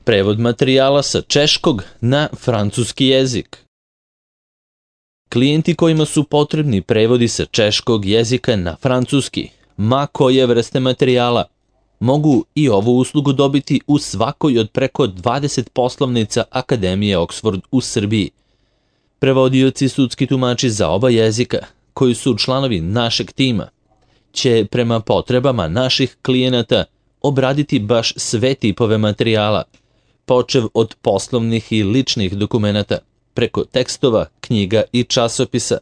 Prevod materijala sa češkog na francuski jezik. Klijenti kojima su potrebni prevodi sa češkog jezika na francuski, ma koje vrste materijala, mogu i ovu uslugu dobiti u svakoj od preko 20 poslovnica Akademije Oxford u Srbiji. Prevodioci sudski tumači za oba jezika, koji su članovi našeg tima, će prema potrebama naših klijenata obraditi baš sve tipove materijala, počev od poslovnih i ličnih dokumenata, preko tekstova, knjiga i časopisa,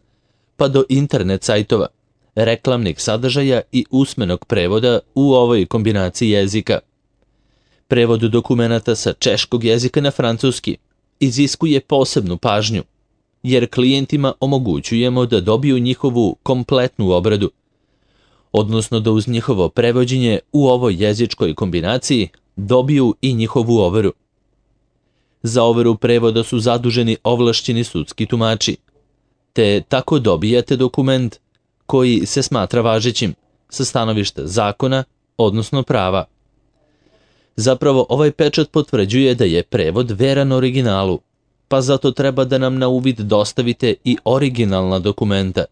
pa do internet sajtova, reklamnih sadržaja i usmenog prevoda u ovoj kombinaciji jezika. Prevod dokumenata sa češkog jezika na francuski iziskuje posebnu pažnju, jer klijentima omogućujemo da dobiju njihovu kompletnu obradu, odnosno da uz njihovo prevođenje u ovoj jezičkoj kombinaciji dobiju i njihovu overu. Za overu prevoda su zaduženi ovlašćeni sudski tumači, te tako dobijate dokument koji se smatra važećim sa stanovišta zakona, odnosno prava. Zapravo, ovaj pečat potvrđuje da je prevod veran originalu, pa zato treba da nam na uvid dostavite i originalna dokumenta,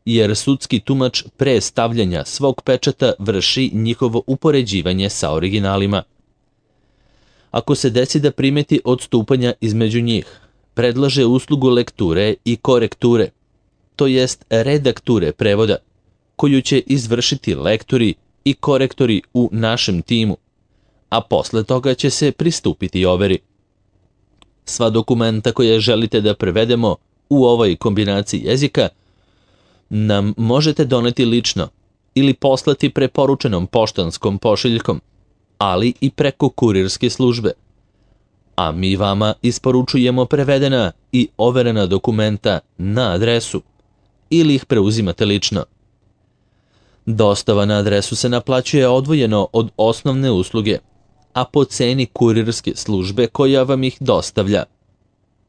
jer sudski tumač pre stavljanja svog pečata vrši njihovo upoređivanje sa originalima. Ako se desi da primeti odstupanja između njih, predlaže uslugu lekture i korekture, to jest redakture prevoda, koju će izvršiti lektori i korektori u našem timu, a posle toga će se pristupiti overi. Sva dokumenta koje želite da prevedemo u ovoj kombinaciji jezika nam možete doneti lično ili poslati preporučenom poštanskom pošiljkom, ali i preko kurirske službe. A mi vama isporučujemo prevedena i overena dokumenta na adresu ili ih preuzimate lično. Dostava na adresu se naplaćuje odvojeno od osnovne usluge, a po ceni kurirske službe koja vam ih dostavlja.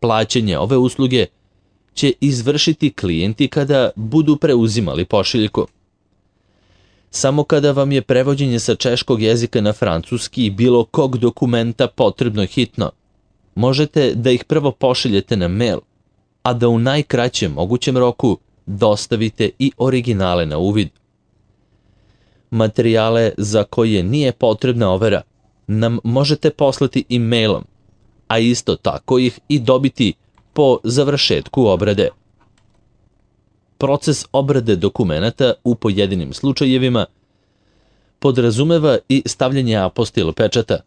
Plaćanje ove usluge će izvršiti klijenti kada budu preuzimali pošiljku. Samo kada vam je prevođenje sa češkog jezika na francuski bilo kog dokumenta potrebno hitno, možete da ih prvo pošiljete na mail, a da u najkraćem mogućem roku dostavite i originale na uvid. Materijale za koje nije potrebna overa nam možete poslati i mailom, a isto tako ih i dobiti po završetku obrade. Proces obrade dokumenata u pojedinim slučajevima podrazumeva i stavljanje apostil pečata,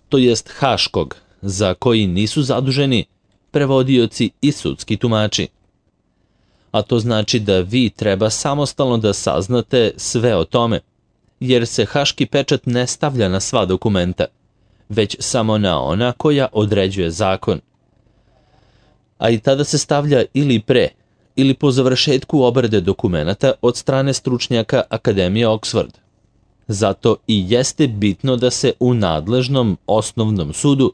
to jest haškog, za koji nisu zaduženi prevodioci i sudski tumači. A to znači da vi treba samostalno da saznate sve o tome, jer se haški pečat ne stavlja na sva dokumenta, već samo na ona koja određuje zakon. A i tada se stavlja ili pre, ili po završetku obrade dokumenata od strane stručnjaka Akademije Oxford. Zato i jeste bitno da se u nadležnom osnovnom sudu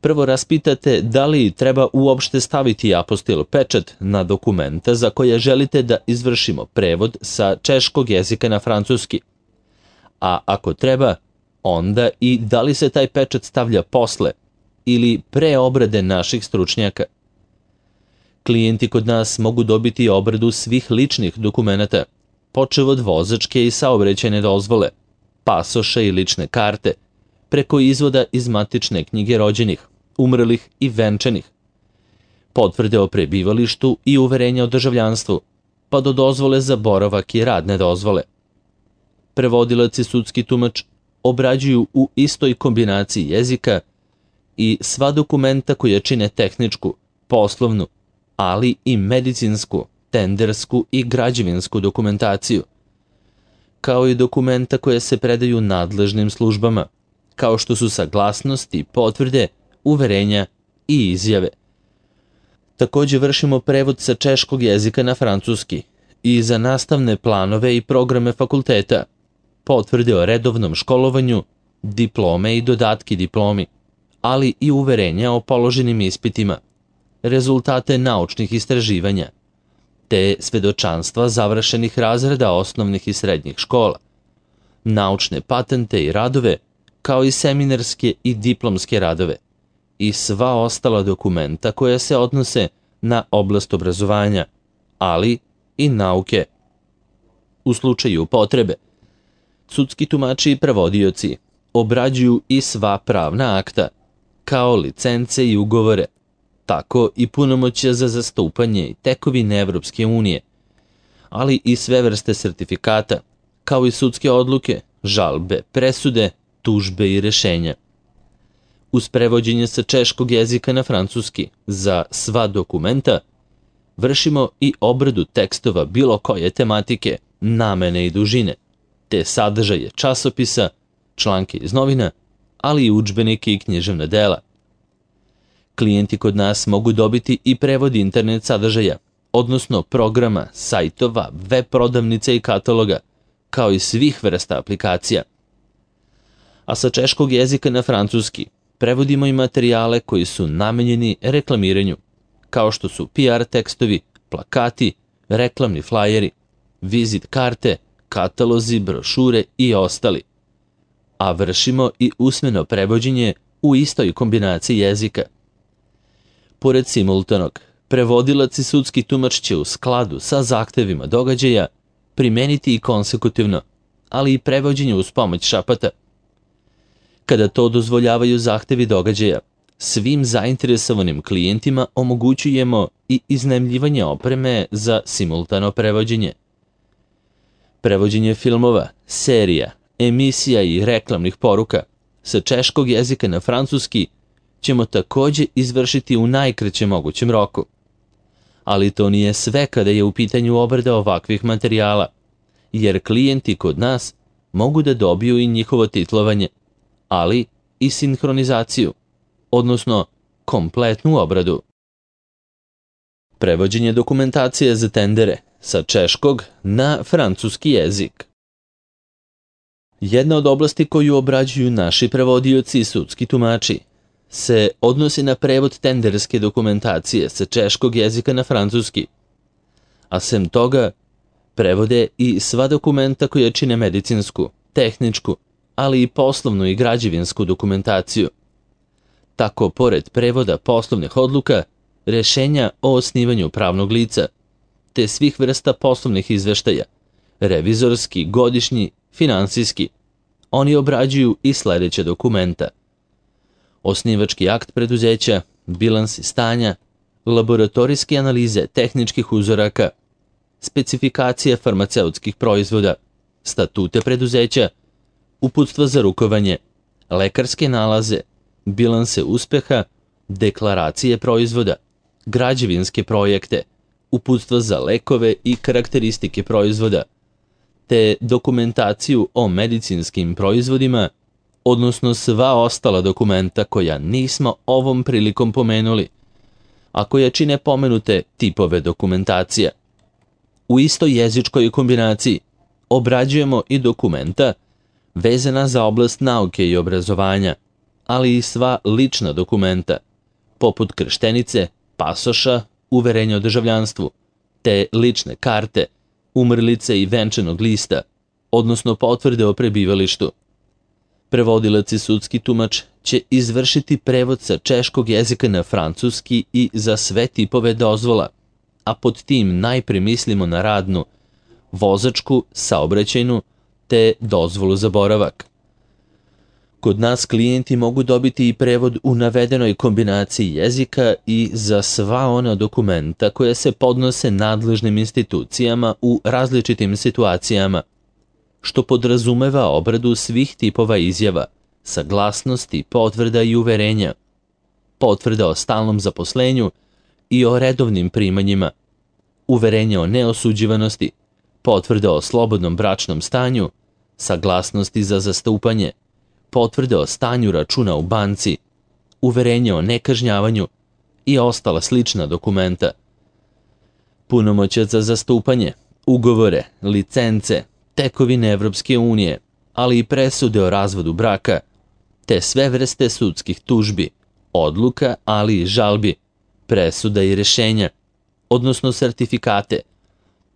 prvo raspitate da li treba uopšte staviti apostil pečat na dokumenta za koje želite da izvršimo prevod sa češkog jezika na francuski. A ako treba, onda i da li se taj pečat stavlja posle ili pre obrade naših stručnjaka. Klijenti kod nas mogu dobiti obradu svih ličnih dokumenata, počev od vozačke i saobraćajne dozvole, pasoša i lične karte, preko izvoda iz matične knjige rođenih, umrlih i venčanih, potvrde o prebivalištu i uverenja o državljanstvu, pa do dozvole za boravak i radne dozvole. Prevodilac i sudski tumač obrađuju u istoj kombinaciji jezika i sva dokumenta koje čine tehničku, poslovnu, ali i medicinsku, tendersku i građevinsku dokumentaciju, kao i dokumenta koje se predaju nadležnim službama, kao što su saglasnosti, potvrde, uverenja i izjave. Također vršimo prevod sa češkog jezika na francuski i za nastavne planove i programe fakulteta, potvrde o redovnom školovanju, diplome i dodatki diplomi, ali i uverenja o položenim ispitima, rezultate naučnih istraživanja, te svedočanstva završenih razreda osnovnih i srednjih škola, naučne patente i radove kao i seminarske i diplomske radove i sva ostala dokumenta koja se odnose na oblast obrazovanja, ali i nauke. U slučaju potrebe, sudski tumači i prevodioci obrađuju i sva pravna akta, kao licence i ugovore, tako i punomoćja za zastupanje i tekovine Evropske unije, ali i sve vrste sertifikata, kao i sudske odluke, žalbe, presude, tužbe i rešenja. Uz prevođenje sa češkog jezika na francuski za sva dokumenta, vršimo i obradu tekstova bilo koje tematike, namene i dužine, te sadržaje časopisa, članke iz novina, ali i udžbenike i književna dela. Klijenti kod nas mogu dobiti i prevod internet sadržaja, odnosno programa, sajtova, web prodavnica i kataloga, kao i svih vrsta aplikacija. A sa češkog jezika na francuski prevodimo i materijale koji su namenjeni reklamiranju, kao što su PR tekstovi, plakati, reklamni flajeri, vizit karte, katalozi, brošure i ostali. A vršimo i usmeno prevođenje u istoj kombinaciji jezika. Pored simultanog, prevodilac i sudski tumač će u skladu sa zahtevima događaja primeniti i konsekutivno, ali i prevođenje uz pomoć šapata. Kada to dozvoljavaju zahtevi događaja, svim zainteresovanim klijentima omogućujemo i iznajmljivanje opreme za simultano prevođenje. Prevođenje filmova, serija, emisija i reklamnih poruka sa češkog jezika na francuski ćemo takođe izvršiti u najkraćem mogućem roku. Ali to nije sve kada je u pitanju obrada ovakvih materijala, jer klijenti kod nas mogu da dobiju i njihovo titlovanje, ali i sinhronizaciju, odnosno kompletnu obradu. Prevođenje dokumentacije za tendere sa češkog na francuski jezik. Jedna od oblasti koju obrađuju naši prevodioci i sudski tumači se odnosi na prevod tenderske dokumentacije sa češkog jezika na francuski, a sem toga prevode i sva dokumenta koja čine medicinsku, tehničku, ali i poslovnu i građevinsku dokumentaciju. Tako, pored prevoda poslovnih odluka, rešenja o osnivanju pravnog lica, te svih vrsta poslovnih izveštaja, revizorski, godišnji, finansijski, oni obrađuju i sledeća dokumenta: osnivački akt preduzeća, bilansi stanja, laboratorijske analize tehničkih uzoraka, specifikacije farmaceutskih proizvoda, statute preduzeća, uputstva za rukovanje, lekarske nalaze, bilanse uspeha, deklaracije proizvoda, građevinske projekte, uputstva za lekove i karakteristike proizvoda, te dokumentaciju o medicinskim proizvodima, odnosno sva ostala dokumenta koja nismo ovom prilikom pomenuli, a koja čine pomenute tipove dokumentacija. U istoj jezičkoj kombinaciji obrađujemo i dokumenta vezana za oblast nauke i obrazovanja, ali i sva lična dokumenta, poput krštenice, pasoša, uverenja o državljanstvu, te lične karte, umrlice i venčanog lista, odnosno potvrde o prebivalištu. Prevodilac i sudski tumač će izvršiti prevod sa češkog jezika na francuski i za sve tipove dozvola, a pod tim najpre mislimo na radnu, vozačku, saobraćajnu, te dozvolu za boravak. Kod nas klijenti mogu dobiti i prevod u navedenoj kombinaciji jezika i za sva ona dokumenta koja se podnose nadležnim institucijama u različitim situacijama, što podrazumeva obradu svih tipova izjava, saglasnosti, potvrda i uverenja, potvrda o stalnom zaposlenju i o redovnim primanjima, uverenja o neosuđivanosti, potvrda o slobodnom bračnom stanju, saglasnosti za zastupanje, potvrde o stanju računa u banci, uverenje o nekažnjavanju i ostala slična dokumenta. Punomoćac za zastupanje, ugovore, licence, tekovine Evropske unije, ali i presude o razvodu braka, te sve vrste sudskih tužbi, odluka, ali i žalbi, presuda i rešenja, odnosno sertifikate,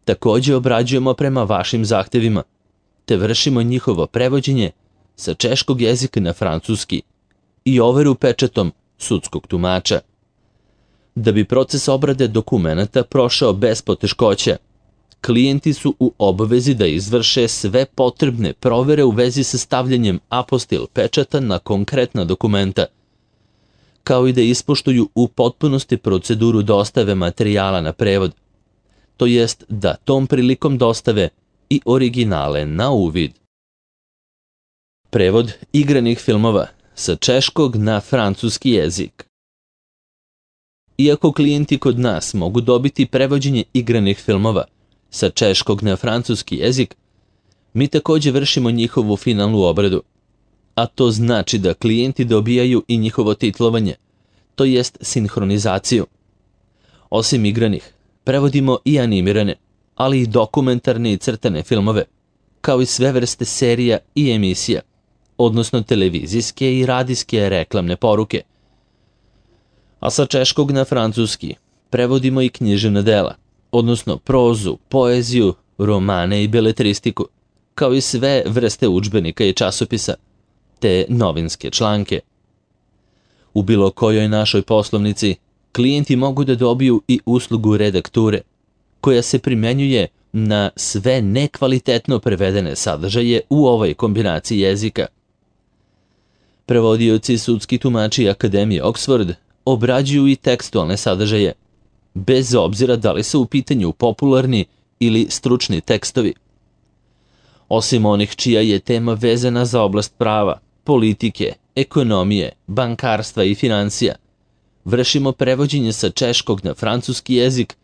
takođe obrađujemo prema vašim zahtevima, te vršimo njihovo prevođenje sa češkog jezika na francuski i overu pečatom sudskog tumača. Da bi proces obrade dokumenata prošao bez poteškoća, klijenti su u obavezi da izvrše sve potrebne provere u vezi sa stavljanjem apostil pečata na konkretna dokumenta, kao i da ispoštuju u potpunosti proceduru dostave materijala na prevod, to jest da tom prilikom dostave i originale na uvid. Prevod igranih filmova sa češkog na francuski jezik. Iako klijenti kod nas mogu dobiti prevođenje igranih filmova sa češkog na francuski jezik, mi također vršimo njihovu finalnu obradu, a to znači da klijenti dobijaju i njihovo titlovanje, to jest sinhronizaciju. Osim igranih, prevodimo i animirane, ali i dokumentarne i crtane filmove, kao i sve vrste serija i emisija, odnosno televizijske i radijske reklamne poruke. A sa češkog na francuski prevodimo i književna dela, odnosno prozu, poeziju, romane i beletristiku, kao i sve vrste udžbenika i časopisa, te novinske članke. U bilo kojoj našoj poslovnici klijenti mogu da dobiju i uslugu redakture, koja se primenjuje na sve nekvalitetno prevedene sadržaje u ovoj kombinaciji jezika. Prevodioci sudski tumači Akademije Oxford obrađuju i tekstualne sadržaje, bez obzira da li su u pitanju popularni ili stručni tekstovi. Osim onih čija je tema vezana za oblast prava, politike, ekonomije, bankarstva i financija, vršimo prevođenje sa češkog na francuski jezik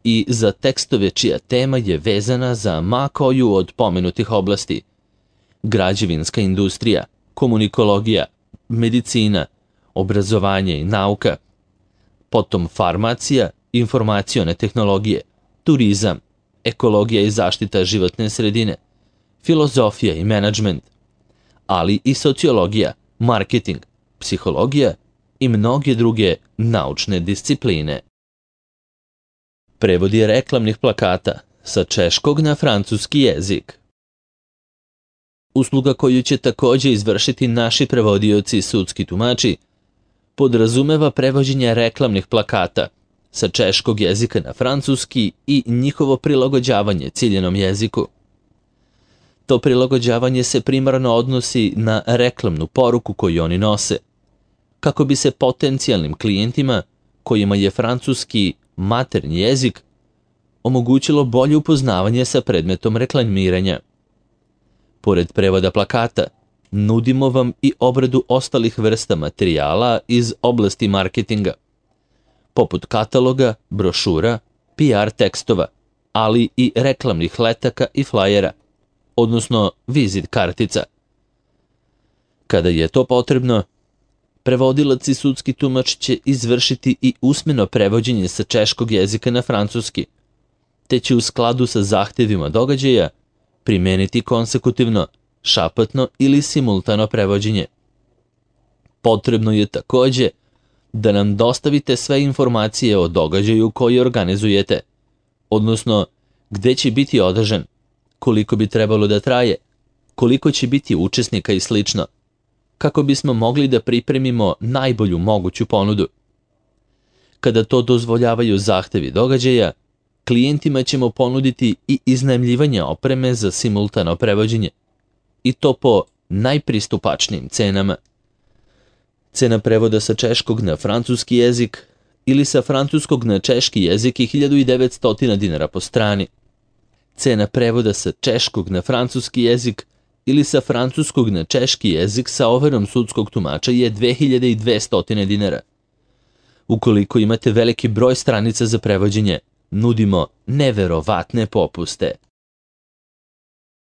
i za tekstove čija tema je vezana za ma koju od pomenutih oblasti: građevinska industrija, komunikologija, medicina, obrazovanje i nauka, potom farmacija, informacione tehnologije, turizam, ekologija i zaštita životne sredine, filozofija i menadžment, ali i sociologija, marketing, psihologija i mnoge druge naučne discipline. Prevodi reklamnih plakata sa češkog na francuski jezik. Usluga koju će također izvršiti naši prevodioci i sudski tumači podrazumeva prevođenje reklamnih plakata sa češkog jezika na francuski i njihovo prilagođavanje ciljenom jeziku. To prilagođavanje se primarno odnosi na reklamnu poruku koju oni nose, kako bi se potencijalnim klijentima, kojima je francuski maternji jezik, omogućilo bolje upoznavanje sa predmetom reklamiranja. Pored prevoda plakata, nudimo vam i obradu ostalih vrsta materijala iz oblasti marketinga, poput kataloga, brošura, PR tekstova, ali i reklamnih letaka i flajera, odnosno vizit kartica. Kada je to potrebno, prevodilac i sudski tumač će izvršiti i usmeno prevođenje sa češkog jezika na francuski, te će u skladu sa zahtevima događaja primeniti konsekutivno, šapatno ili simultano prevođenje. Potrebno je također da nam dostavite sve informacije o događaju koji organizujete, odnosno gde će biti održan, koliko bi trebalo da traje, koliko će biti učesnika i slično, kako bismo mogli da pripremimo najbolju moguću ponudu. Kada to dozvoljavaju zahtevi događaja, klijentima ćemo ponuditi i iznajmljivanje opreme za simultano prevođenje, i to po najpristupačnijim cenama. Cena prevoda sa češkog na francuski jezik ili sa francuskog na češki jezik je 1900 dinara po strani. Cena prevoda sa češkog na francuski jezik ili sa francuskog na češki jezik sa overom sudskog tumača je 2200 dinara. Ukoliko imate veliki broj stranica za prevođenje, nudimo neverovatne popuste.